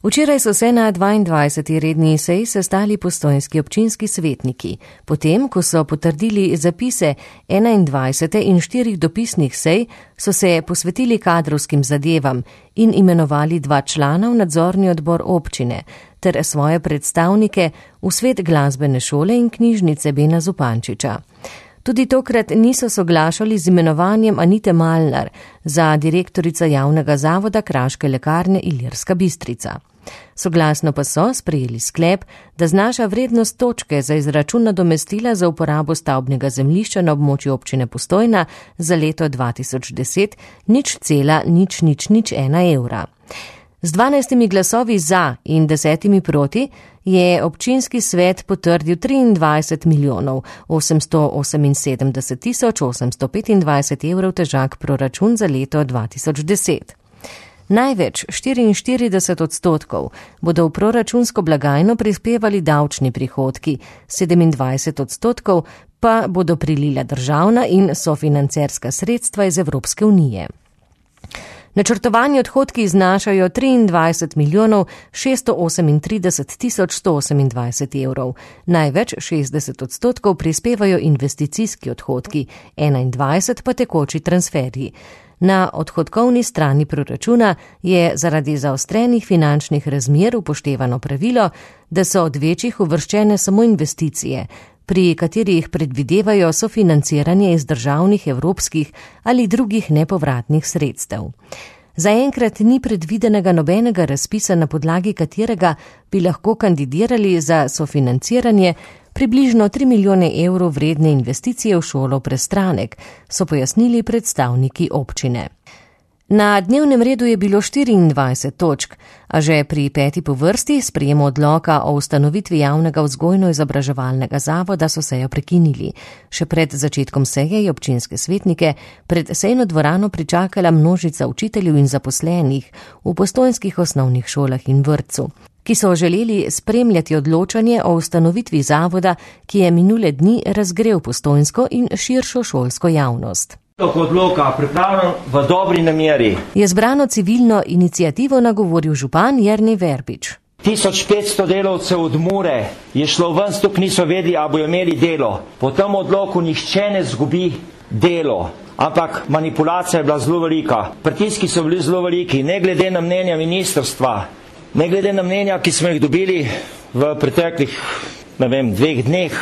Včeraj so se na 22. redni seji sestali postojnski občinski svetniki. Potem, ko so potrdili zapise 21. in 4 dopisnih sej, so se posvetili kadrovskim zadevam in imenovali 2 člana v nadzorni odbor občine ter svoje predstavnike v svet glasbene šole in knjižnice Bena Zupančiča. Tudi tokrat niso soglašali z imenovanjem Anite Malnar za direktorico javnega zavoda Kraške lekarne Ilirska Bistrica. Soglasno pa so sprejeli sklep, da znaša vrednost točke za izračun nadomestila za uporabo stavbnega zemljišča na območju občine Postojna za leto 2010 0,0001 evra. Z 12 glasovi za in 10 proti je občinski svet potrdil 23 milijonov 878 tisoč 825 evrov težak proračun za leto 2010. Največ 44% bodo v proračunsko blagajno prispevali davčni prihodki, 27% pa bodo prilila državna in sofinancerska sredstva iz Evropske unije. Načrtovani odhodki znašajo 23 milijonov 638 tisoč 128 evrov. Največ 60% prispevajo investicijski odhodki, 21% pa tekoči transferji. Na odhodkovni strani proračuna je zaradi zaostrenih finančnih razmer upoštevano pravilo, da so od večjih uvrščene samo investicije, pri katerih predvidevajo sofinanciranje iz državnih, evropskih ali drugih nepovratnih sredstev. Zaenkrat ni predvidenega nobenega razpisa, na podlagi katerega bi lahko kandidirali za sofinanciranje približno 3 milijone evrov vredne investicije v šolo Prestranek, so pojasnili predstavniki občine. Na dnevnem redu je bilo 24 točk, a že pri 5. po vrsti sprejem odloka o ustanovitvi javnega vzgojno-izobraževalnega zavoda so sejo prekinili. Še pred začetkom seje je občinske svetnike pred sejno dvorano pričakala množica učiteljev in zaposlenih v postojnskih osnovnih šolah in vrtcu, ki so želeli spremljati odločanje o ustanovitvi zavoda, ki je minule dni razgrel postojnsko in širšo šolsko javnost. Odloka pripravljen v dobri nameri. Je zbrano civilno inicijativo nagovoril župan Jernej Verbič. 1500 delavcev od Mure je šlo ven, stok niso vedeli, a bojo imeli delo. Po tem odloku nihče ne zgubi delo, ampak manipulacija je bila zelo velika. Pritiski so bili zelo veliki, ne glede na mnenja ministrstva, ne glede na mnenja, ki smo jih dobili v preteklih, 2 dneh,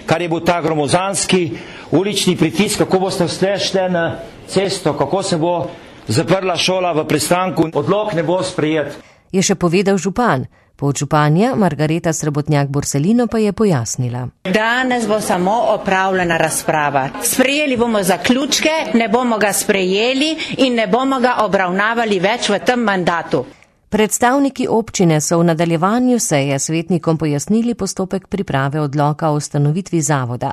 kar je bil ta gromozanski ulični pritisk, kako boste šli na cesto, kako se bo zaprla šola v Prestanku. Odlok ne bo sprejet. Je še povedal župan. Podžupanja Margareta Srebotnjak-Borselino pa je pojasnila. Danes bo samo opravljena razprava. Sprejeli bomo zaključke, ne bomo ga sprejeli in ne bomo ga obravnavali več v tem mandatu. Predstavniki občine so v nadaljevanju seje svetnikom pojasnili postopek priprave odloka o ustanovitvi zavoda.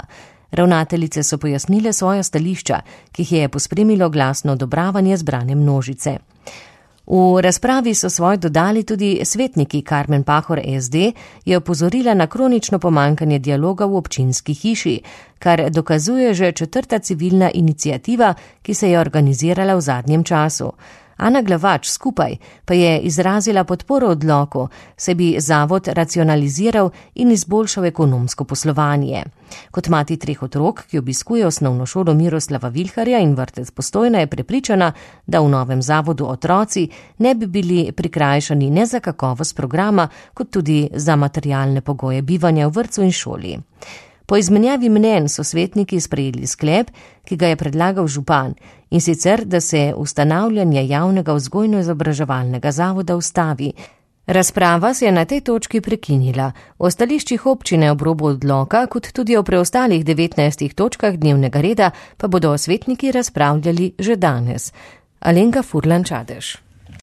Ravnateljice so pojasnile svoja stališča, ki jih je pospremilo glasno odobravanje zbrane množice. V razpravi so svoj dodali tudi svetniki. Karmen Pahor SD je opozorila na kronično pomankanje dialoga v občinski hiši, kar dokazuje že 4. civilna iniciativa, ki se je organizirala v zadnjem času. Ana Glavač skupaj pa je izrazila podporo odloku, se bi zavod racionaliziral in izboljšal ekonomsko poslovanje. Kot mati 3 otrok, ki obiskuje osnovno šolo Miroslava Vilharja in vrtec Postojna, je prepričana, da v novem zavodu otroci ne bi bili prikrajšani ne za kakovost programa, kot tudi za materialne pogoje bivanja v vrtcu in šoli. Po izmenjavi mnenj so svetniki sprejeli sklep, ki ga je predlagal župan, in sicer, da se ustanavljanje javnega vzgojno-izobraževalnega zavoda ustavi. Razprava se je na tej točki prekinila. O stališčih občine ob robu odloka, kot tudi o preostalih 19 točkah dnevnega reda, pa bodo svetniki razpravljali že danes. Alenka Furlan Čadež.